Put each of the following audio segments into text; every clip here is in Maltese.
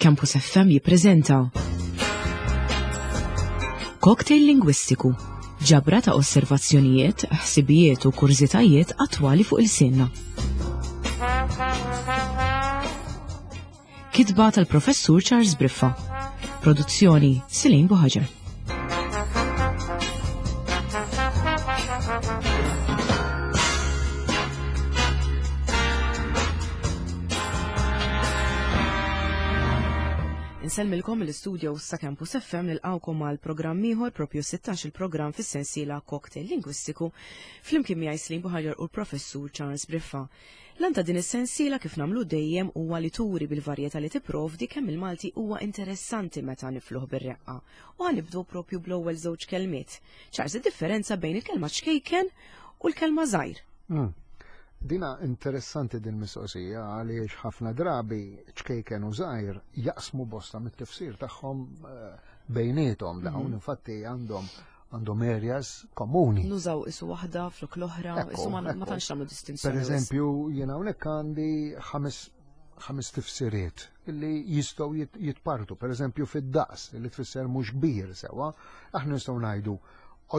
Campus FM jippreżenta Cocktail Lingwistiku, ġabra ta' osservazzjonijiet, ħsibijiet u kurżitajiet attwali fuq il-sinna. Kitba tal-Professur Charles Briffa. Produzzjoni Silin Buħaġar. Insellmilkom mill-istudio sa Campus FM nilqawkom għal programm ieħor propju 16 il-programm fis-sensiela Cocktail Lingwistiku flimkien miegħi Slim Buħaġar u l-Professur Charles Briffa. L-għan ta' din is-sensiela kif nagħmlu dejjem huwa li turi bil-varjetà li tipprovdi kemm il-Malti huwa interessanti meta nifluh bir-reqqa. U ħanibdew propju bl-ewwel żewġ kelmiet. Charles, id-differenza bejn il-kelma ċkejken u l-kelma żgħir. Hmm. Dina interessanti din mistoqsija għaliex ħafna drabi ċkejken u żgħir jaqsmu bosta mit-tifsir tagħhom eh, bejniethom dawn, mhm. infatti għandhom għandhom areas komuni. Nużaw isu waħda flok l-oħra, isu ma tantx nagħmlu distinzjoni. Per eżempju, jiena hawnhekk għandi ħames ħames tifsiriet li jistgħu jitpartu, per eżempju fid-daqs li tfisser mhux kbir sewwa, aħna nistgħu ngħidu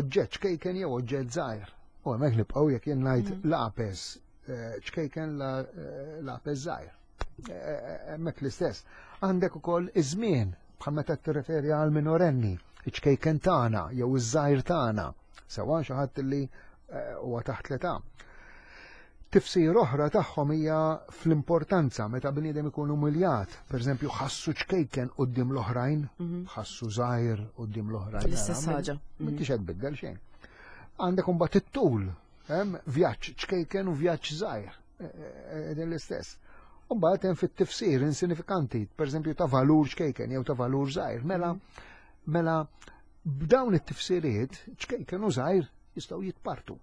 oġġett ċkejken jew oġġett żgħir. U hemmhekk nibqgħu jekk jien ngħid mm. lapes eh, ċkejken eh, lapes żgħir. Eh, hemmhekk l-istess. Għandek ukoll iż-żmien bħal meta tirreferi għal minorenni, iċ-ċkejken tagħna jew iż-żgħir tagħna, sewwa xi ħadd li huwa taħt l-età. Tifsir oħra tagħhom hija fl-importanza meta bniedem ikun umiljat, pereżempju ħassu ċkejken quddiem l-oħrajn, mhm. ħassu żgħir quddiem l-oħrajn. L-istess ħaġa. Mhm. M'intix qed tbiddel xejn. Għandek imbagħad it-tul, hemm vjaġġ ċkejken u vjaġġ żgħir. E, e, e, din l-istess. U mbagħad hemm fit-tifsir insinifikanti, pereżempju ta' valur ċkejken jew ta' valur żgħir. Mela, mhm. mela b'dawn it-tifsiriet ċkejken u żgħir jistgħu jitpartu.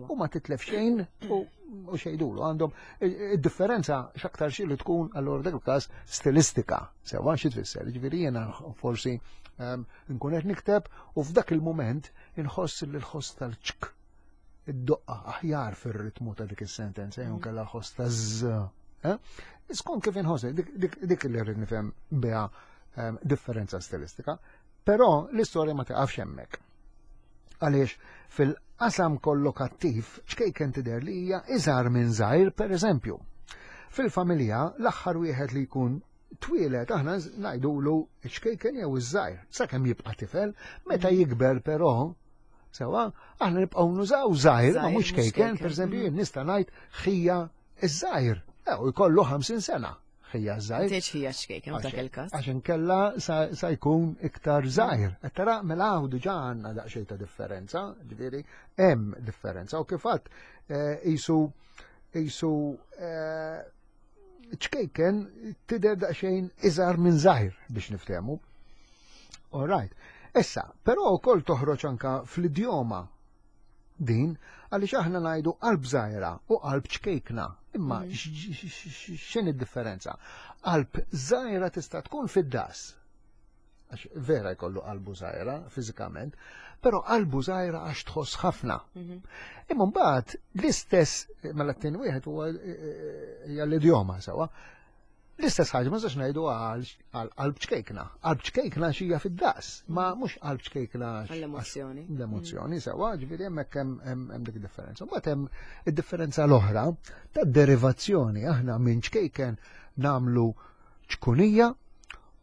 U ma titlef xejn u xejdulu għandhom id-differenza x'aktar xi li tkun allura dak il-każ stilistika. Sewa xi tfisser, ġifieri jiena forsi ehm, nkun qed nikteb u f'dak il-mument inħoss li l-ħoss tal-ċk id-doqqa aħjar fir-ritmu ta' dik is-sentenza jew mm. kellha ħoss ta' z. Eh? Skont kif inħoss dik li rrid nifhem biha ehm, differenza stilistika. Però l-istorja ma tiqafx hemmhekk. Għaliex fil-qasam kollokattiv ċkejken tidher li hija iżgħar minn żgħir pereżempju. Fil-familja l-aħħar wieħed li jkun twieled aħna ngħidulu ċkejken jew iż-żgħir, sakemm jibqa' tifel, meta mm. jikber però sewa, aħna nibqgħu nużaw żgħir, ma mhux ċkejken, pereżempju mm. jien nista' ngħid ħija iż-żgħir, eh, u jkollu 50 sena. ħija żgħir. Tgħidx ħija xkejken f'dak il-każ. Għax inkella sa jkun iktar żgħir. Qed tara mela hawn diġà għandna daqsxejn ta' differenza, ġifieri hemm differenza. U kif għadd eh, isu isu eh, ċkejken tidher daqsxejn iżgħar minn żgħir biex niftehmu. All right. Issa, però wkoll toħroġ anka fl-idjoma din għaliex aħna ngħidu qalb żgħira u qalb ċkejkna. Imma mm. x'in id-differenza? Qalb żgħira tista' tkun fid-das. Għax vera jkollu qalbu żgħira fiżikament, però qalbu żgħira għax tħoss ħafna. Mhm. Imma mbagħad l-istess mela t-tieni wieħed huwa eh, eh, hija l-idjoma sewwa. L-istess ħaġa ma nistax ngħidu għal qalb ċkejkna. Qalb ċkejkna xija fid-daqs, ma mhux qalb ċkejkna L-emozzjoni. L-emozzjoni sewwa, ġifieri hemmhekk hemm dik differenza. Mbagħad hemm id-differenza l-oħra ta' derivazzjoni aħna minn ċkejken nagħmlu ċkunija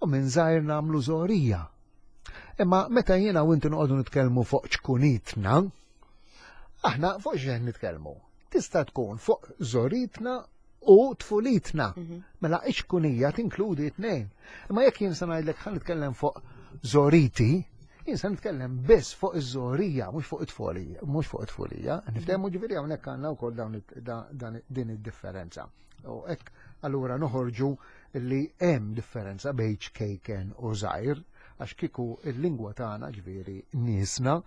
u minn żgħir nagħmlu żorija. Imma meta jiena u inti noqogħdu nitkellmu fuq ċkunitna, aħna fuq xejn nitkellmu. Tista' tkun fuq żoritna u tfulitna. Mhm. Mela iċkunija tinkludi tnejn. Imma jekk jien se ngħidlek ħa nitkellem fuq żoriti, jien se nitkellem biss fuq iż-żorija, mhux fuq it-tfulija, mhux fuq it-tfulija. Mhm. Niftehmu ġifieri hawnhekk għandna wkoll dawn din id-differenza. U hekk allura noħorġu li hemm differenza bejn ċkejken u żgħir, għax kieku il-lingwa tagħna ġifieri niesna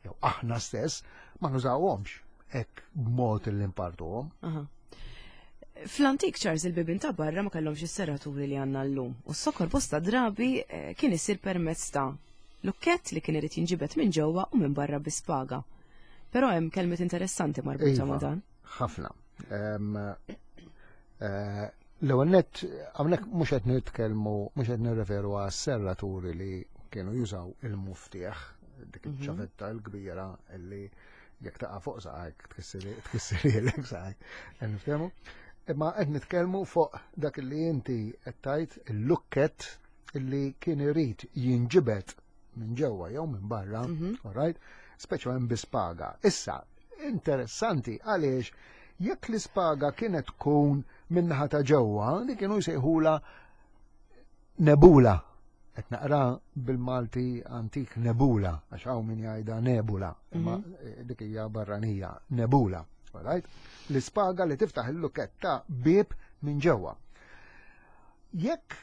jew aħna stess ma nużawhomx hekk b'mod li npartuhom. Fl-antik Charles il-bibin ta' barra ma kellhomx is-serraturi li għandna llum u s-sokor bosta drabi eh, kien isir permezz ta' lukkett li kien irid jinġibed minn ġewwa u minn barra bi spaga. Però hemm kelmiet interessanti marbuta ma' iva, dan. Ħafna. Eh, L-ewwel nett hawnhekk mhux qed nitkellmu mhux qed nirreferu għas-serraturi li kienu jużaw il-muftieħ dik mhm. iċ-ċavetta l-kbira li jekk taqa' fuq saqajk tkissirielek saqajk. Niftehmu? Imma qed nitkellmu fuq dak li inti qed tgħid il-lukket illi kien irid jinġibed minn ġewwa jew minn barra, mhm. all right? Speċjalment bi spaga. Issa, interessanti għaliex jekk l-ispaga kienet tkun min-naħa ta' ġewwa, li kienu jsejħula nebula. Qed naqra bil-Malti antik nebula, għax hawn min jgħidha nebula, imma mm -hmm. dik hija barranija, nebula. Right? L-ispaga li tiftaħ il-luketta bib minn ġewwa. Jekk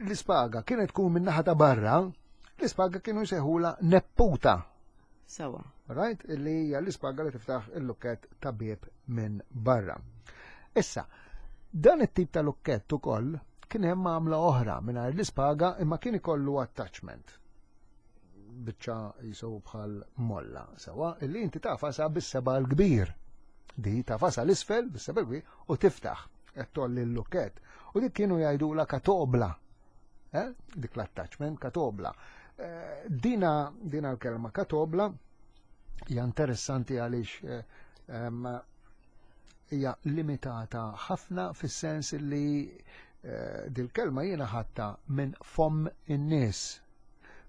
l-ispaga kienet tkun minn naħa ta' barra, l-ispaga kienu jsejħula nepputa. Sawa. Right? Illi hija l-ispaga li tiftaħ il-lukket ta' bieb minn barra. Issa, dan it-tip ta' lukkett ukoll kien hemm għamla oħra mingħajr l-ispaga imma kien ikollu attachment biċċa jisu bħal molla sewa illi inti tafasa bis-seba' l-kbir. Di tafasa l-isfel bis-seba' l-kbir u tiftaħ qed tolli l-lukkett. U dik kienu jgħidula katobla. Eh? Dik l-attachment katobla. Eh, dina, dina l-kelma katobla hija interessanti għaliex eh, hija limitata ħafna fis-sens li eh, dil-kelma jiena ħatta minn fomm in-nies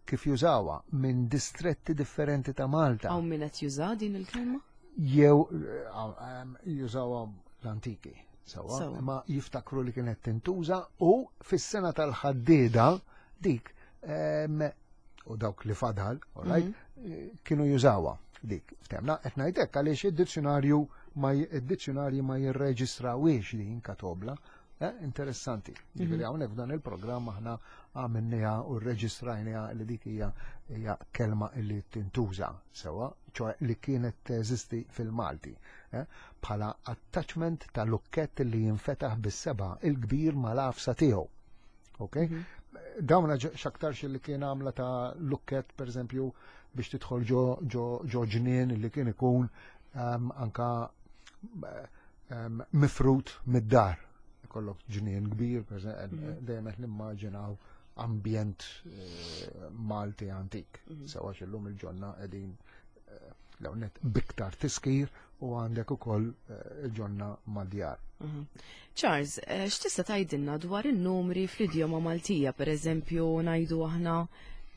kif jużawha minn distretti differenti ta' Malta. Hawn min qed juża din il-kelma? Jew jużawha l-antiki. Sawa, ma jiftakru li kienet tintuża u fis-sena tal-ħaddieda dik u dawk li fadal, all right, mm -hmm. kienu jużawha dik. Ftemna, qed ngħidlek għaliex id-dizzjonarju ma id-dizzjonarji ma jirreġistrawiex din katobla. Eh, interessanti. Mhm. Ġifieri hawnhekk f'dan il-programm aħna għamilniha u rreġistrajniha li dik hija hija kelma li tintuża sewa, ċoe li kienet teżisti fil-Malti. Eh, bħala attachment ta' lukkett li jinfetaħ bis-seba' il-kbir mal-għafsa tiegħu. Ok? Mhm. Dawna x'aktarx li kien għamla ta' lukket, per eżempju, biex tidħol ġo ġnien li kien ikun um, anka um, mifrut mid-dar. Ikollok ġnien kbir, per eżempju, mhm. dejjem qed nimmaġinaw ambjent eh, Malti antik. Mhm. Sewa xillum il-ġonna qegħdin eh, l-ewwel biktar tiskir u għandek ukoll eh, il-ġonna madjar. Mhm. Charles, eh, x'tista' tgħidilna dwar in-numri fl-idjoma Maltija, pereżempju ngħidu aħna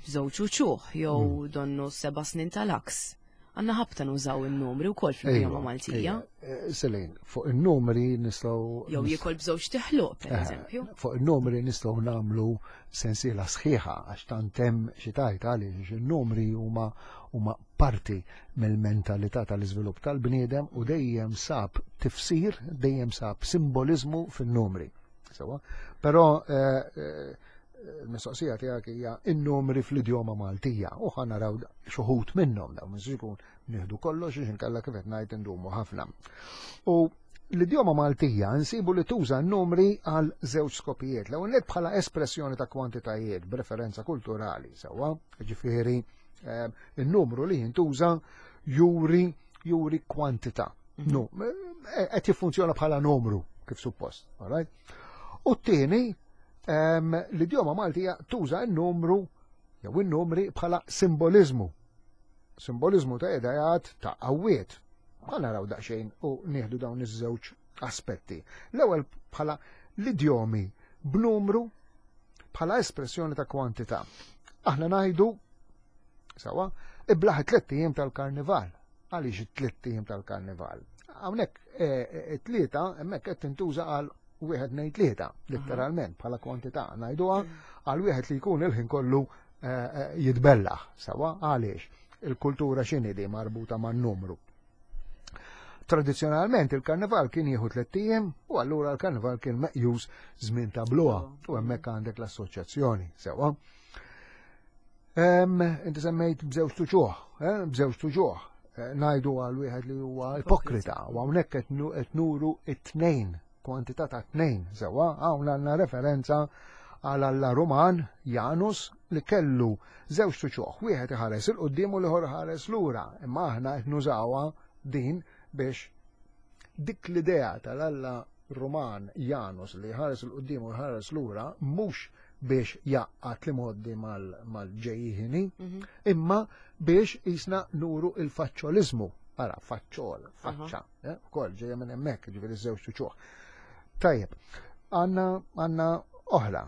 b'żewġ uċuħ jew mm. donnu seba' snin tal-aks. Għanna ħabta nużaw in-numri wkoll fl-idjoma Maltija. Eh, Selin, fuq in-numri nistgħu Jew jiekol b'żewġ teħluq, pereżempju. Fuq in-numri nistgħu nagħmlu sensiela sħiħa għax tant hemm xi tajt għaliex in-numri huma huma parti mill-mentalità tal-iżvilupp tal-bniedem u dejjem sab tifsir, dejjem sab simboliżmu fin-numri. Sewa, però eh, eh, il-mistoqsija tiegħek hija in-numri fl-idjoma Maltija u ħa naraw xuħut minnhom dawn mhux ikun nieħdu kollox għax inkella kif qed ngħid indumu ħafna. U l-idjoma Maltija nsibu li tuża n-numri għal żewġ skopijiet. L-ewwel bħala espressjoni ta' kwantitajiet b'referenza kulturali sewwa, ġifieri Ehm, il-numru li jintuża juri juri kwantità. Mhm. No, eh, qed jiffunzjona bħala numru kif suppost, all right? U t-tieni ehm, l-idjoma Maltija tuża n-numru jew in-numri bħala simbolizmu. Simbolizmu ta' idejat ta' qawwiet. Ħa naraw daqsxejn u nieħdu dawn iż-żewġ aspetti. L-ewwel bħala l-idjomi b'numru bħala espressjoni ta' kwantità. Aħna ngħidu sawa, iblaħ it-tliet ijiem tal-karnival. Għaliex it-tliet ijiem tal-karnival? Hawnhekk eh, eh, it-tlieta hemmhekk qed tintuża għal wieħed ngħid tlieta, letteralment bħala kwantità ngħiduha għal wieħed li jkun il-ħin kollu eh, jitbellaħ, sawa għaliex il-kultura x'inhi di marbuta man-numru. Tradizzjonalment il-karnival kien jieħu tlett ijiem u allura l-karnival kien meqjus żmien ta' bluha u hemmhekk għandek l-assoċjazzjoni sewwa. Inti semmejt b'żewġ tuġuħ, eh, b'żewġ tuġuħ. Eh, ngħidu għal wieħed li huwa ipokrita u hawnhekk qed nuru it-tnejn, kwantità ta' tnejn sewwa, hawn għandna referenza għal Alla Ruman Janus li kellu żewġ tuċuħ, wieħed iħares il qudiem u l-ieħor iħares lura, imma aħna qed nużawha din biex dik l-idea tal-Alla Ruman Janus li jħares 'il quddiem u jħares lura mhux biex jgħaqqad l-imgħoddi mal-ġejjieni, imma biex jisna nuru il-faċċoliżmu. Ara, faċċol, faċċa, eh, ukoll ġejja minn hemmhekk, ġifieri żewġ uċuħ. Tajjeb, għandna oħra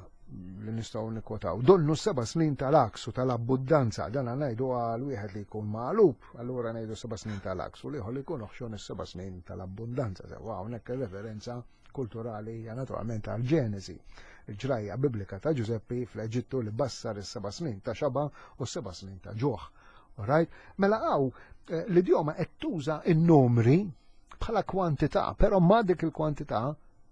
li nistgħu nikkwotaw. Donnu seba' snin tal-aks u tal-abbundanza, dan ngħidu għal wieħed li jkun magħlub, allura ngħidu seba' snin tal-aks u l-ieħor li jkun oħxon is-seba' snin tal-abbundanza. Sewa hawnhekk ir-referenza kulturali hija naturalment għal Ġenesi, il-ġrajja biblika ta' Ġużeppi fl-Eġittu li bassar is-seba' snin ta' xaba u s-seba' snin ta' ġuħ. Alright? Mela hawn l-idjoma qed tuża n-numri bħala kwantità, però ma dik il-kwantità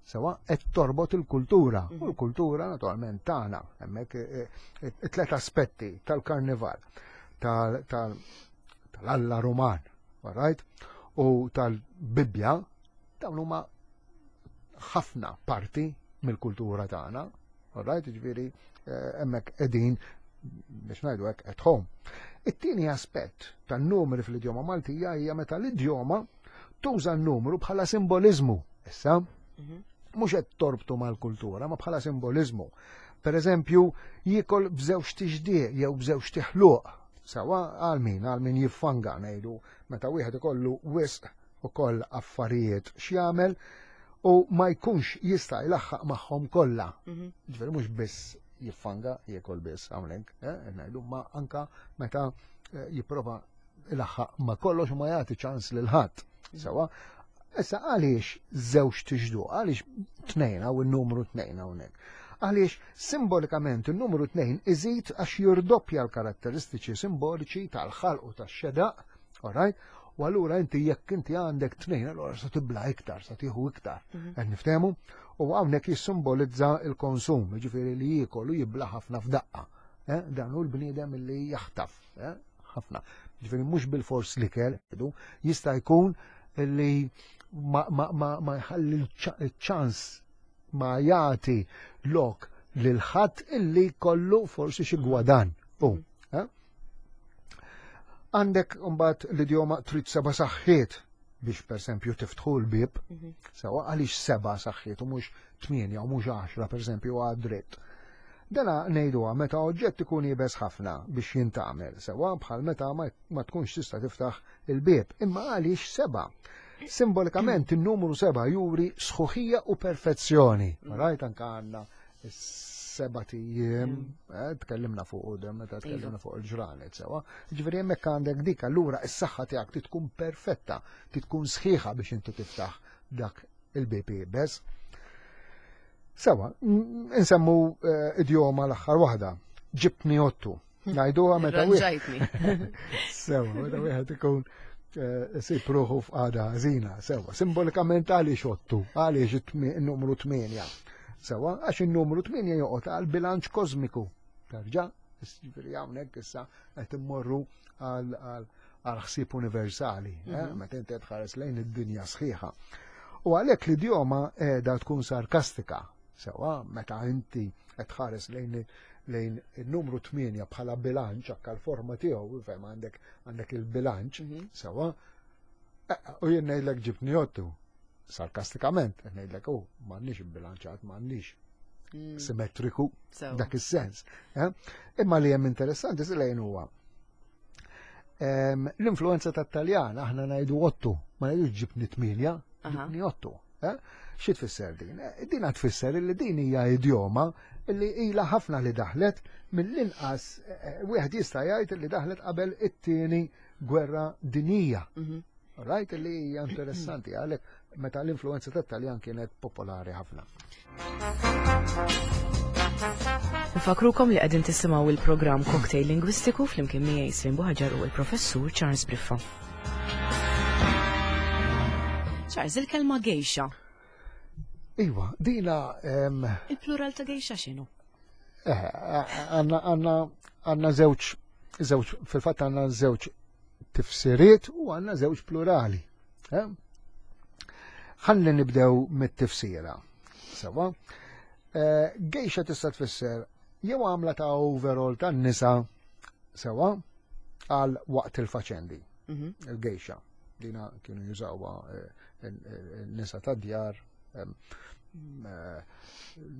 sewa qed torbot il-kultura. U l-kultura naturalment tagħna hemmhekk it-tlet aspetti tal-karnival, tal-Alla Ruman, alright? U tal-Bibbja, dawn huma ħafna parti mill-kultura tagħna, alright? Ġifieri hemmhekk qegħdin biex ngħidu hekk at home. It-tieni aspett tan-numri fl-idjoma Maltija hija meta l-idjoma tuża n-numru bħala simboliżmu. Issa, mhux qed torbtu mal-kultura, ma bħala simboliżmu. Per eżempju, jiekol b'żewġ tixdieq jew b'żewġ tiħluq. Sawa għal min, għal min jiffanga ngħidu meta wieħed ikollu wisq ukoll affarijiet x'jagħmel u ma jkunx jista' jlaħħaq magħhom kollha. Ġifieri mhux biss jiffanga jiekol biss hawnhekk, ngħidu, ma anka meta jipprova ilaħħaq ma kollox u ma jagħti ċans lil ħadd. Sawa, issa għaliex żewġ tixdu, għaliex tnejn hawn in-numru tnejn hawnhekk. Għaliex simbolikament in-numru tnejn iżid għax jirdoppja l-karatteristiċi simboliċi tal-ħalq u tax-xedaq, alright? U allura inti jekk inti għandek tnejn, allura sa tibla iktar, sa tieħu iktar. Qed niftehmu? U hawnhekk jissimbolizza l-konsum, jiġifieri li jiekol u jibla ħafna f'daqqa. Dan hu l-bniedem li jaħtaf, ħafna. Ġifieri mhux bil-fors l-ikel, jista' jkun li ma jħalli ċ-ċans ma jagħti lok lil ħadd illi kollu forsi xi gwadan. U, eh? Għandek mbagħad l-idjoma trid seba' saħħiet biex pereżempju tiftħu l-bieb, sewa għaliex seba' saħħiet u mhux 8 u mhux 10 pereżempju għad dritt. Dana ngħiduha meta oġġett ikun iebes ħafna biex jintgħamel, sewa bħal meta ma tkunx tista' tiftaħ il-bieb, imma għaliex seba'. Simbolikament in-numru seba' juri sħuħija u perfezzjoni. Rajt anka għandna seba' tijiem, tkellimna fuq u dem meta tkellimna fuq il-ġranet sewa. Ġifieri hemmhekk għandek dik, allura s-saħħa tiegħek trid tkun perfetta, trid tkun sħiħa biex inti tiftaħ dak il-bieb iebes. Sewa, insemmu idjoma l-aħħar waħda, ġibtni ottu. Ngħiduha meta wieħed. Ranġajtni. Sewa, meta wieħed ikun sib ruħu f'qagħda ħażina, sewa. Simbolikament għaliex ottu, għaliex in-numru 8. Sewa, għax in-numru 8 joqgħod għal bilanċ kosmiku. Terġa', ġifieri hawnhekk issa qed immorru għal ħsieb universali, meta inti tħares lejn id-dinja sħiħa. U għalhekk l-idjoma qiegħda tkun sarkastika, sewa, meta inti qed tħares lejn il-numru 8 bħala bilanċ, anke l-forma tiegħu, fem għandek il-bilanċ, sewa, u jien ngħidlek ġibtni ottu, sarkastikament, qed ngħidlek, oh, m'għandniex bilanċat, m'għandniex simmetriku dak is-sens. Imma li hemm interessanti lejn huwa l-influenza tat-Taljan, aħna ngħidu ottu, ma ngħidux ġibni 8, ġibni ottu. Xi tfisser din? Din tfisser li din hija idjoma li ilha ħafna li daħlet mill-inqas wieħed jista' jgħid li daħlet qabel it-tieni gwerra dinjija. Right, li hija interessanti għalhekk meta l-influenza tat-Taljan kienet popolari ħafna. Nfakrukom li qegħdin tisimgħu il-programm Cocktail Lingwistiku flimkien miegħi Slim Buhaġar u l-Professur Charles Briffa. Charles, il-kelma gejxa. Iva, dina, Il-plural ta' gejxa x'inhu? Għandna żewġ, żewġ, fil-fatt għandna żewġ tifsiriet u għandna żewġ plurali. Ħalli nibdew mit-tifsira. Sewa. Gejxa tista' tfisser jew għamla ta' overall tan-nisa sewa għal waqt il-faċendi. Il-gejxa. Dina kienu jużawha n-nisa ta' djar.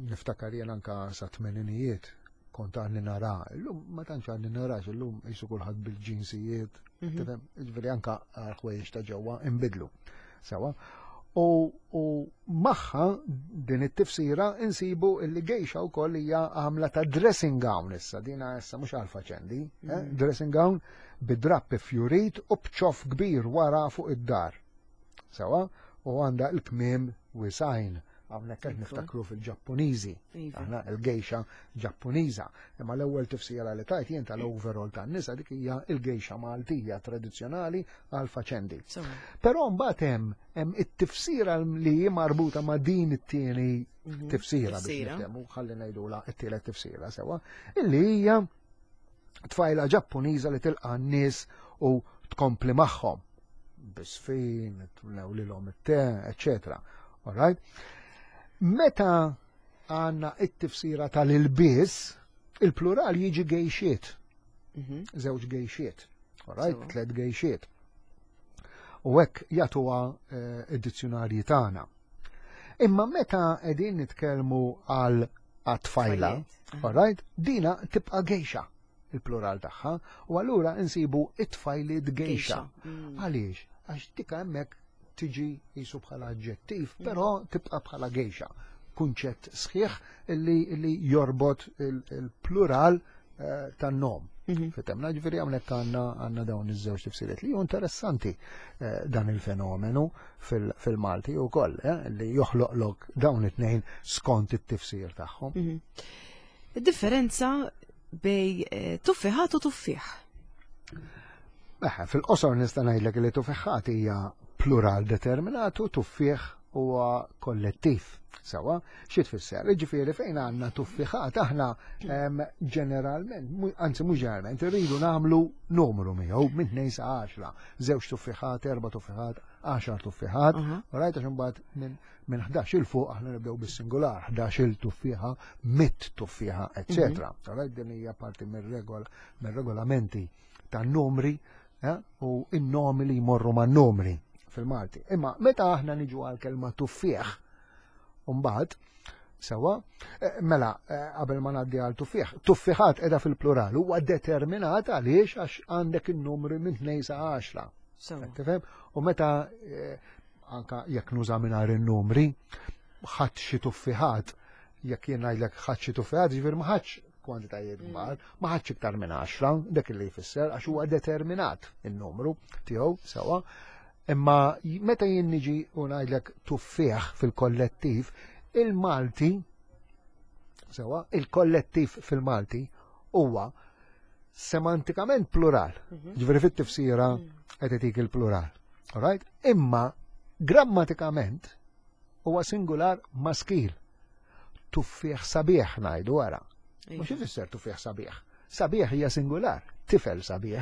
Niftakar jien anka sa tmeninijiet kont għadni nara, illum ma tantx għadni narax, illum jisu kulħadd bil-ġinsijiet, tifhem, ġifieri anka ħwejjeġ ta' ġewwa inbidlu. Sewa. U, u magħha din it-tifsira insibu illi gejxa wkoll hija għamla ta' dressing gown issa, dina issa mhux għal faċendi, eh? Dressing gown bi drapp fjurit u b'ċoff kbir wara fuq id-dar. Sewa, u għandha l-kmiem wisajn. Hawnhekk qed niftakru fil-Ġappuniżi, Iva. aħna il-gejxa Ġappuniża. Imma l-ewwel tifsira li tajt jien tal-overall tan-nisa dik hija il-gejxa Maltija tradizzjonali għal faċendi. Però mbagħad hemm hemm it-tifsira li hi marbuta ma' din it-tieni tifsira biex niftehmu, ħalli ngħidula t-tielet tifsira sewa, illi hija tfajla Ġappuniża li tilqa' n-nies u tkompli magħhom bisfin, lilhom it-te, eccetera. All right? Meta għandna it-tifsira tal-ilbies, il-plural jiġi gejxiet. Żewġ gejxiet. All right? Tlet gejxiet. U hekk jagħtuha eh, id-dizzjonarji tagħna. Imma meta qegħdin nitkellmu għal għat-tfajla, all right, dina tibqa' gejxa il-plural tagħha, u allura insibu it-tfajliet gejxa. Għaliex? Għax dika hemmhekk tiġi jisu bħala aġġettiv, però tibqa' bħala gejxa. Kunċett sħiħ illi, illi jorbot il-plural eh, tan-nom. Fitemna, ġifieri hawnhekk għandna għandna dawn iż-żewġ tifsiriet li hu interessanti eh, dan il-fenomenu fil-Malti wkoll eh, li joħloqlok dawn it-tnejn skont it-tifsir tagħhom. Id-differenza bej eh, tuffiħat u tuffieħ. Eħe, fil-qosor nista' ngħidlek li tuffiħat hija plural determinat u tuffieħ huwa kollettiv. Sewa, xi tfisser? Jiġifieri fejn għandna tuffiħat aħna ġeneralment, anzi mhux ġeneralment, irridu nagħmlu numru miegħu minn 2 sa 10, żewġ tuffiħat, erba' tuffiħat, 10 tuffiħat, rajt għax imbagħad minn minn 11 il fuq aħna nibdew bis-singular, 11 il tuffieħa, mit tuffieħa, eccetera. Rajt din hija parti mir-regolamenti tan-numri eh, u in-nomi li jmorru man-numri fil-Malti. Imma meta aħna niġu għal kelma tuffieħ, mbagħad sewa, eh, mela eh, qabel ma ngħaddi għal tuffieħ, tuffieħat qiegħda fil-plural huwa determinat għaliex għax għandek in-numri minn 2 sa 10. Tifhem? U meta anka jekk nuża mingħajr in-numri, ħadd xi tuffiħat, jekk jien ngħidlek ħadd xi tuffiħat, ġifier ma ħadx kwantitajiet mm. kbar, ma ħadx iktar minn 10, dak li jfisser għax huwa determinat in-numru tiegħu sewa. Imma meta jien niġi u ngħidlek tuffieħ fil-kollettiv, il-Malti sewa, il-kollettiv fil-Malti huwa semantikament plural. Mhm. Ġifieri fit-tifsira mm. qed itik il-plural. Alright? Imma grammatikament huwa singular maskil. Tuffieħ sabiħ ngħidu wara. Mhux ifisser tuffieħ sabiħ. Sabiħ hija singular, tifel sabiħ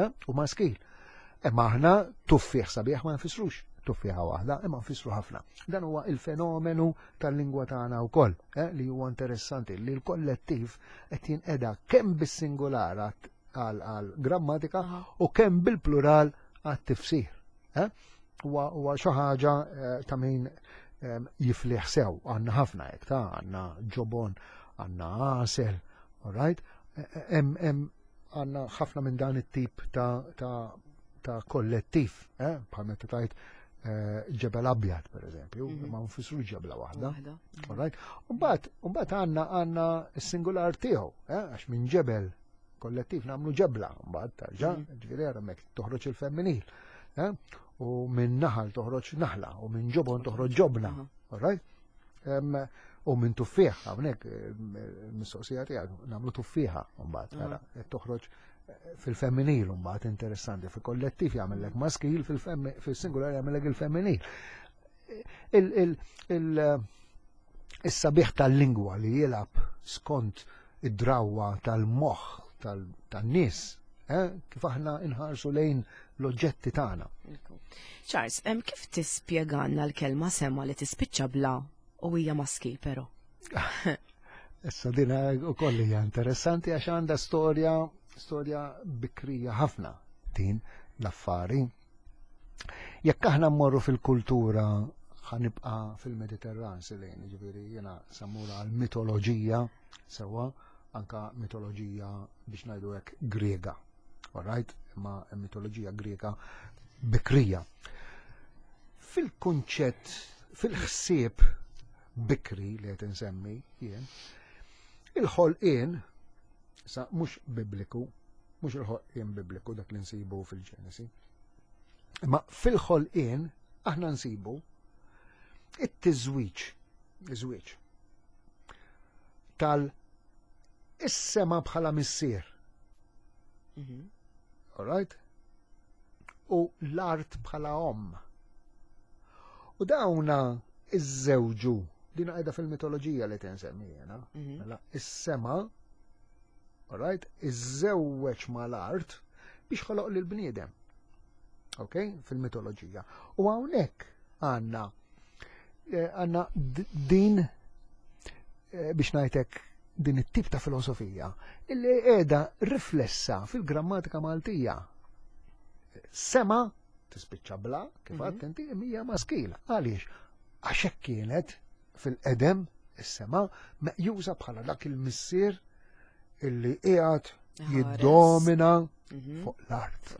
eh? u maskil. Imma aħna tuffieħ sabiħ ma nfissrux tuffieħa waħda, imma nfissru ħafna. Dan huwa il-fenomenu tal-lingwa tagħna wkoll, eh, li huwa interessanti li l-kollettiv qed jinqeda kemm bis-singular għal grammatika u kemm bil-plural għat-tifsir. Eh? Huwa xi ħaġa eh, ta' min ehm, jifliħ sew, għandna ħafna hekk ta' għandna ġobon, għandna għasel, all right? Hemm għandna ħafna minn dan it-tip ta' ta' ta' kollettiv, eh? bħal meta tajt eh, ġebel abjad, per eżempju, mhm. ma nfissru ġebla waħda. Mhm. All right? Umbagħad għandna għandna s-singular tiegħu, eh? għax minn ġebel kollettiv nagħmlu ġebla, mbagħad tarġa', mhm. ġifieri hemmhekk toħroġ il-femminil. Eh? U minn naħal toħroġ naħla, u minn ġobon toħroġ ġobna. All right? U minn tuffieħ, hawnhekk mistoqsija tiegħek nagħmlu tuffieħa mbagħad mela toħroġ eh, fil-femminil mbagħad interessanti, fil-kollettiv jagħmellek maskil, fil-singular jagħmellek il-femminil. Is-sabiħ tal-lingwa li jilgħab skont id-drawwa tal-moħħ tan-nies, eh, kif aħna inħarsu lejn l-oġġetti tagħna. Charles, kif tispjegalna l-kelma sema li tispiċċa bla u hija maskil però? Issa din ukoll hija interessanti għax għandha storja storja bikrija ħafna din l-affari. Jekk aħna mmorru fil-kultura Ħa nibqa' fil-Mediterran silejn, ġifieri jiena sammura għal mitoloġija sewwa, anka mitoloġija biex ngħidu hekk Griega. Alright? Imma mitoloġija Griega bikrija. Fil-kunċett, fil-ħsieb bikri li qed insemmi jien, il-ħolqien sa mhux bibliku, mhux il-ħolqien bibliku dak li nsibu fil-Ġenesi. Imma fil-ħolqien aħna nsibu it-tiżwiġ, iż-żwieġ tal is-sema bħala missier. All right? U l-art bħala omm. U dawna iż-żewġu, din għajda fil-mitoloġija li tinsemmi jena, mela is-sema, all right, iż-żewweġ mal-art biex ħoloq lil bniedem. Ok, fil-mitoloġija. U hawnhekk għandna għandna din biex ngħidlek din it-tip ta' filosofija illi qiegħda riflessa fil-grammatika Maltija. Sema tispiċċa bla, kif għedt inti, hija maskil. Għaliex? Għax hekk kienet fil-qedem is-sema meqjusa bħala dak il-missier illi qiegħed jiddomina fuq l-art,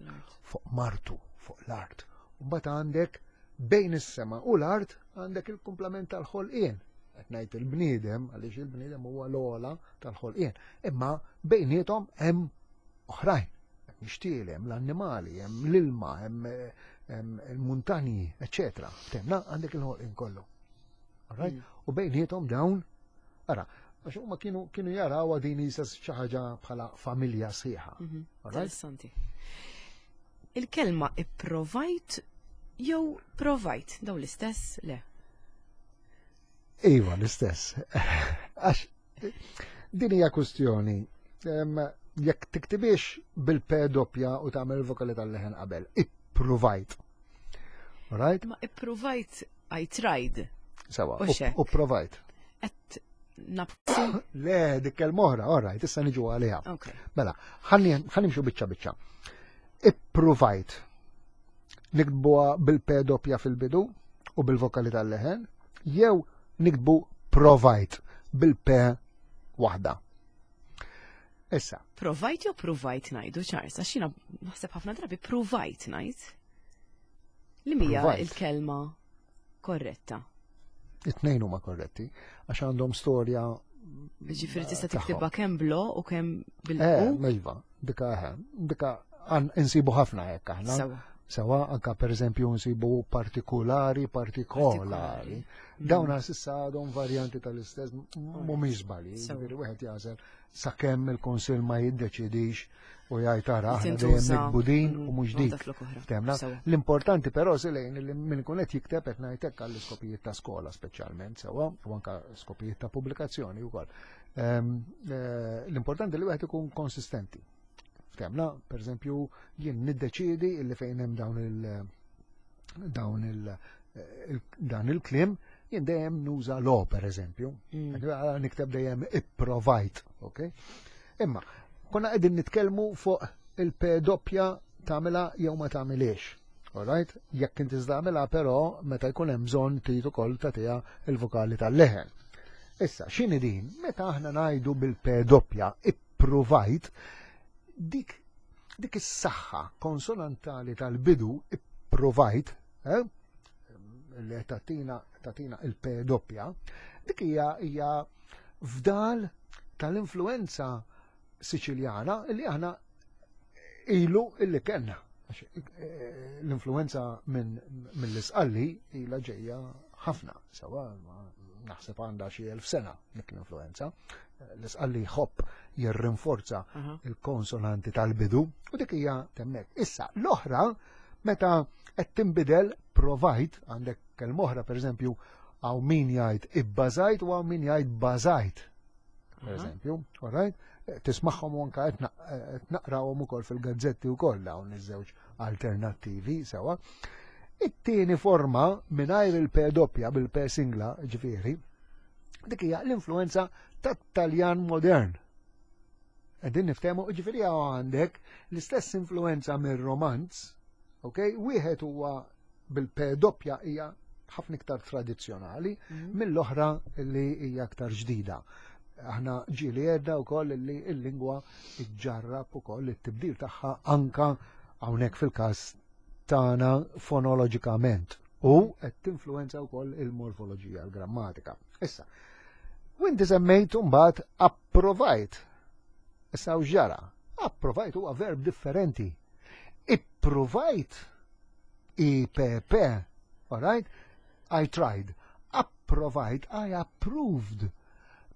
fuq martu, fuq l-art. U mbagħad għandek bejn is-sema u l-art għandek il-kumplament tal-ħolqien. Qed ngħid il-bniedem għaliex il-bniedem huwa l-ogħla tal-ħolqien. Imma bejniethom hemm oħrajn. Hemm ixtiel, hemm l-annimali, hemm l-ilma, hemm il-muntanji, eċċetera. Temna għandek il-ħolqien kollu. Alright? U bejniethom dawn, ara, għax huma kienu jaraw din isa xi ħaġa bħala familja sħiħa. Alright? Interessanti. Il-kelma ipprovajt jew provajt, daw l-istess? Le. Iva, l-istess. Għax din hija kwestjoni. Jekk tiktibix bil-P doppja u tagħmel il-vokali tal-leħen qabel, ippruvajt. Right? Ma ippruvajt, I tried. Sewa, U xek. u provajt. Et nabsi. Le, dik kelma oħra, all right, issa niġu għaliha. Ok. Mela, ħalli nimxu biċċa biċċa. Ippruvajt. Niktbuha bil-P doppja fil-bidu u bil-vokali tal-leħen, jew niktbu provajt bil-P waħda. Issa. Provajt jew pruvajt ngħidu, Charles, għax jiena naħseb ħafna drabi pruvajt ngħid. Li mija Provajt. il-kelma korretta? It-tnejn huma korretti, għax għandhom storja Ġifieri tista' tagħhom. tiktibha kemm blo u kemm bil-u. Iva, dika dika insibu ħafna hekk aħna. Sewa. Sewa, anka per eżempju nsibu partikolari, partikolari. Partikolari. Dawn s'issa għadhom varjanti tal-istess, mhumiex żbalji, Sewa. ġifieri wieħed jagħżel sakemm il-Kunsill ma jiddeċidix u jgħid ara aħna dejjem Tintuża, nikbu din u mhux waħda dik. flok oħra. Temna? Sewa. L-importanti però silejn li min ikun qed jikteb qed ngħidlek għall-iskopijiet ta' skola speċjalment sewa u anka skopijiet ta' pubblikazzjoni wkoll. L-importanti li wieħed ikun konsistenti. Ftemna, per eżempju, jien niddeċiedi li fejn hemm dawn il dawn il, il dan il-kliem jien dejjem nuża lo, per eżempju. Għala nikteb dejjem ipprovajt, ok? Imma, konna qegħdin nitkellmu fuq il-P doppja tagħmilha jew ma tagħmilhiex. Alright? Jekk inti tagħmilha però meta jkun hemm bżonn trid ukoll tagħtiha il-vokali tal-leħen. Issa, x'inhi din? Meta aħna ngħidu bil-P doppja ippruvajt, dik is-saħħa konsonantali tal-bidu ippruvajt, li tagħtina il-P doppja, dik hija fdal tal-influenza Siċiljana li aħna ilu illi kellna. Għax l-influenza mill-Isqalli ilha ġejja ħafna, sewa naħseb għandha xi 1000 sena dik l-influenza. L-Isqalli jħobb jirrinforza il-konsonanti tal-bidu u dik hija temmek. Issa l-oħra meta qed tinbidel provajt, għandek kelma oħra pereżempju hawn min jgħid ibbażajt u hawn min jgħid bażajt. Per eżempju, all right? Tismagħhom u anka qed naqrawhom ukoll fil-gazzetti wkoll dawn iż-żewġ alternattivi sewa. It-tieni forma mingħajr il-P doppja bil-P singla, ġifieri, dik hija l-influenza tat-Taljan modern. Qegħdin niftehmu, ġifieri hawn għandek l-istess influenza mir-Romanz, ok? Wieħed huwa bil-P doppja hija ħafna iktar tradizzjonali mhm. mill-oħra li hija aktar ġdida. Aħna ġieli għedna wkoll li l-lingwa ġġarrab ukoll it-tibdil tagħha anka hawnhekk fil-każ tagħna fonoloġikament u qed tinfluwenza wkoll il-morfoloġija, l-grammatika. Issa, u inti semmejt mbagħad approvajt. Issa u ġara, approvajt huwa verb differenti. Ippruvajt IPP, all right? I tried. Approvajt, I approved.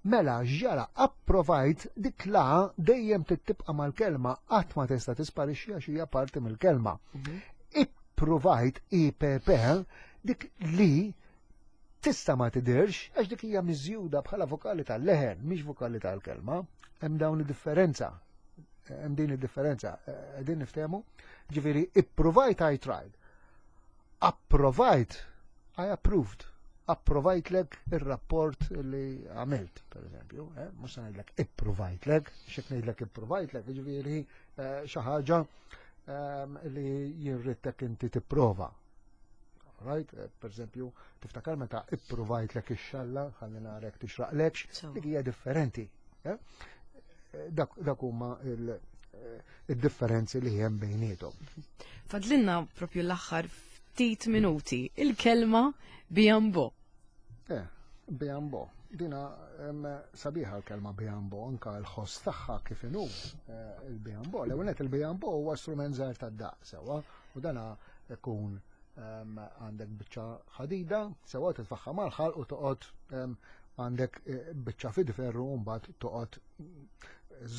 Mela ġara approvajt dik la dejjem tibqa' mal-kelma qatt ma tista' tisparixxi għax hija parti mill-kelma. Mhm. Ippruvajt IPP dik li tista' ma tidirx għax dik hija miżjuda bħala vokali tal-leħen, mhix vokali tal-kelma. Hemm dawn id-differenza. Hemm din id-differenza. Qegħdin niftehmu? Ġifieri ippruvajt I tried. Approvajt I approved. Approvajtlek ir-rapport li għamilt, per eżempju, eh? mhux se ngħidlek ippruvajtlek, xek ngħidlek ippruvajtlek, ġifieri eh, xi ħaġa ehm, li jirrittek inti tipprova. Right? Eh, per eżempju, tiftakar meta ippruvajtlek ix-xalla, ħalli narek tixraqlekx, dik hija differenti. Eh? Eh, dak huma il-differenzi li hemm bejniethom. Fadlinna propju l-aħħar ftit minuti, il-kelma bijambo. Eh, bijambo. Dina sabiħa l-kelma bijambo, anka l-ħoss tagħha kif inhu il-bijambo. L-ewwel il-bijambo huwa strument żgħir tad-daq sewwa u dana ikun għandek biċċa ħadida, sewa titfaħħa mal-ħalq u toqgħod għandek eh, biċċa fid-ferru u mbagħad toqgħod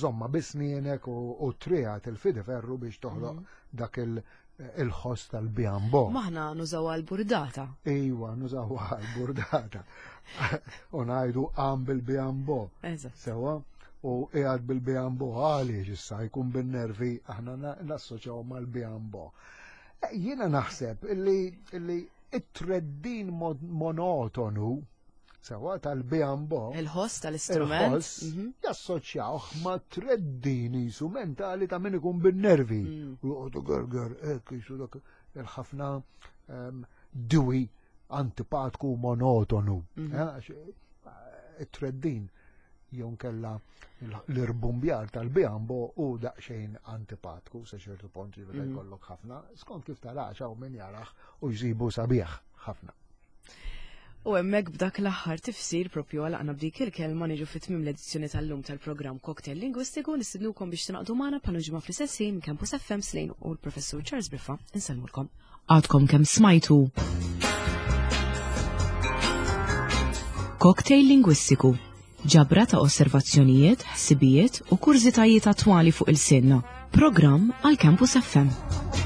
żomma bisnienek u trijat il-fidi ferru biex toħloq mhm. dak il-ħoss tal-biambo. Maħna nużaw għal-burdata. Iwa, nużaw għal-burdata. U ngħidu għam bil-biambo. Sewa, u qiegħed bil-biambo għaliex issa jkun bin-nervi aħna nassoċjaw mal-biambo. Jiena naħseb illi it-treddin monotonu sewa tal-biambo. Il-ħoss tal-istrument. Il-ħoss mhm. jassoċjawh ma' treddin jisu mentali ta' min ikun bin-nervi. Mm. U joqogħdu gerger hekk jisu dak il-ħafna ehm, diwi antipatku monotonu. Mhm. Eh, eh, it-treddin jew nkella l-irbumbjar tal-biambo u daqsxejn antipatku sa ċertu punt jiġifieri mhm. jkollok ħafna, skont kif tarax hawn min jarax u jsibu sabiħ ħafna. U hemmhekk b'dak l-aħħar tifsir propju għalaqna b'dik il-kelma niġu fit tmiem l-edizzjoni tal-lum tal-programm Cocktail Lingwistiku nistidnukom biex tingħaqdu magħna bħal ġimgħa fl-istess ħin Campus FM Slejn u l-Professur Charles Briffa insellmulkom. Għadkom kemm smajtu Cocktail Lingwistiku ġabra ta' osservazzjonijiet, ħsibijiet u kurżitajiet attwali fuq il-sinna. Programm għal Campus FM.